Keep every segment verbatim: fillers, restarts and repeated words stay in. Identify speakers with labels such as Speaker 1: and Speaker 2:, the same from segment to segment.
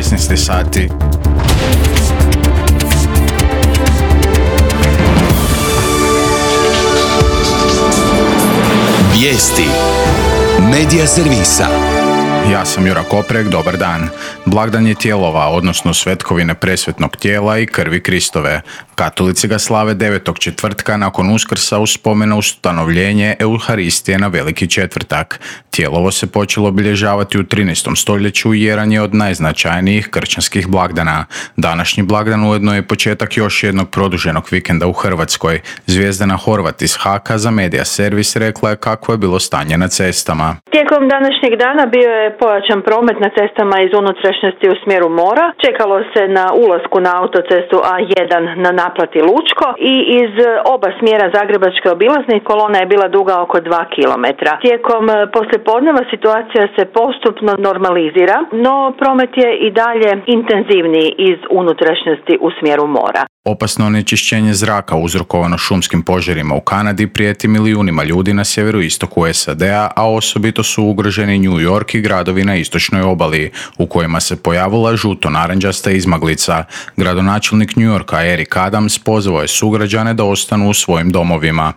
Speaker 1: šesnaest sati.
Speaker 2: Vijesti Medija servisa.
Speaker 1: Ja sam Jura Koprek, dobar dan. Blagdan je tijelova, odnosno svetkovine presvetnog tijela i krvi Kristove. Katolici ga slave devetog četvrtka nakon Uskrsa u spomenu ustanovljenje Euharistije na Veliki četvrtak. Tijelovo se počelo obilježavati u trinaestom stoljeću i jedan je od najznačajnijih kršćanskih blagdana. Današnji blagdan ujedno je početak još jednog produženog vikenda u Hrvatskoj. Zvijezdana Horvat iz Haka za Medija servis rekla je kako je bilo stanje na cestama.
Speaker 3: Tijekom današnjeg dana bio je pojačan promet na cestama iz unutrašnjosti u smjeru mora. Čekalo se na ulasku na autocestu A jedan na naplati Lučko i iz oba smjera zagrebačke obilazne kolona je bila duga oko dva kilometra. Tijekom poslijepodneva situacija se postupno normalizira, no promet je i dalje intenzivniji iz unutrašnjosti u smjeru mora.
Speaker 1: Opasno onečišćenje zraka uzrokovano šumskim požarima u Kanadi prijeti milijunima ljudi na sjeveroistoku S A D-a, a osobito su ugroženi New York i gradovi na istočnoj obali, u kojima se pojavila žuto-naranđasta izmaglica. Gradonačelnik New Yorka Eric Adams pozvao je sugrađane da ostanu u svojim domovima.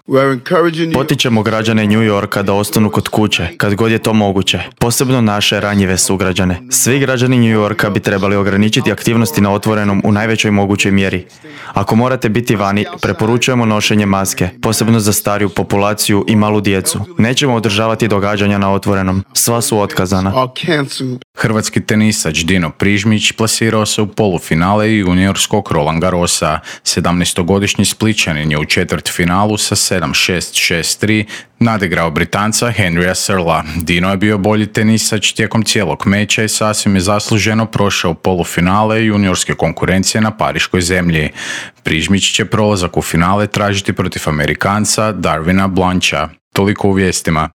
Speaker 4: Potičemo građane New Yorka da ostanu kod kuće, kad god je to moguće, posebno naše ranjive sugrađane. Svi građani New Yorka bi trebali ograničiti aktivnosti na otvorenom u najvećoj mogućoj mjeri. Ako morate biti vani, preporučujemo nošenje maske, posebno za stariju populaciju i malu djecu. Nećemo održavati događanja na otvorenom. Sva su otkazana.
Speaker 1: Hrvatski tenisač Dino Prižmić plasirao se u polufinale juniorskog Roland Garrosa. sedamnaestogodišnji Splićanin je u četvrtfinalu sa sedam šest šest tri nadigrao Britanca Henrya Searla. Dino je bio bolji tenisač tijekom cijelog meča i sasvim je zasluženo prošao polufinale juniorske konkurencije na pariškoj zemlji. Prižmić će prolazak u finale tražiti protiv Amerikanca Darvina Blancha. Toliko u vijestima.